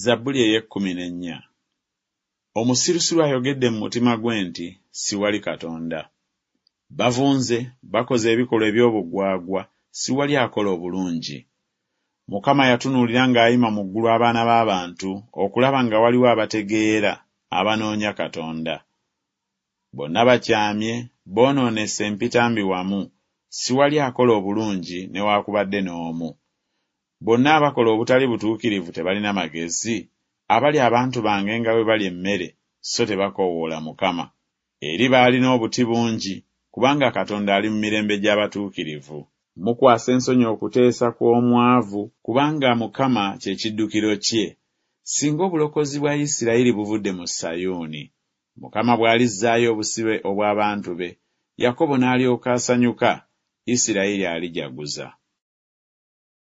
Zabbuli ey'ekkumi n'ennya. Omusirusiru ayogedde mu mutima gwe nti, Siwali Katonda. Bavunze, bakoze ebikolwa eby'obugwagwa, siwali akola obulungi. Mukama yatunuulira ng'ayima mu ggulu abaana b'abantu okulaba nga waliwo abategeera, abanoonya Katonda. Bonna bakyamye, boonoonese empitambi wamu, siwali akola obulungi newaakubadde n'omu. Bonna abakola obutali butuukirivu tebalina magezi? Abalya abantu bange nga bwe balya emmere, so tebakoowoola Mukama. Eri baalina obuti bungi, kubanga Katonda ali mu mirembe gy'abatuukirivu. Mukwasa ensonyi okuteesa kw'omwavu, kubanga Mukama kye kiddukiro kye. Singa obulokozi bwa Isirayiri buvudde mu Sayuuni! Mukama bw'alizzaayo obusibe obw'abantu be, Yakobo n'alyoka asanyuka, Isirayiri alijaguza.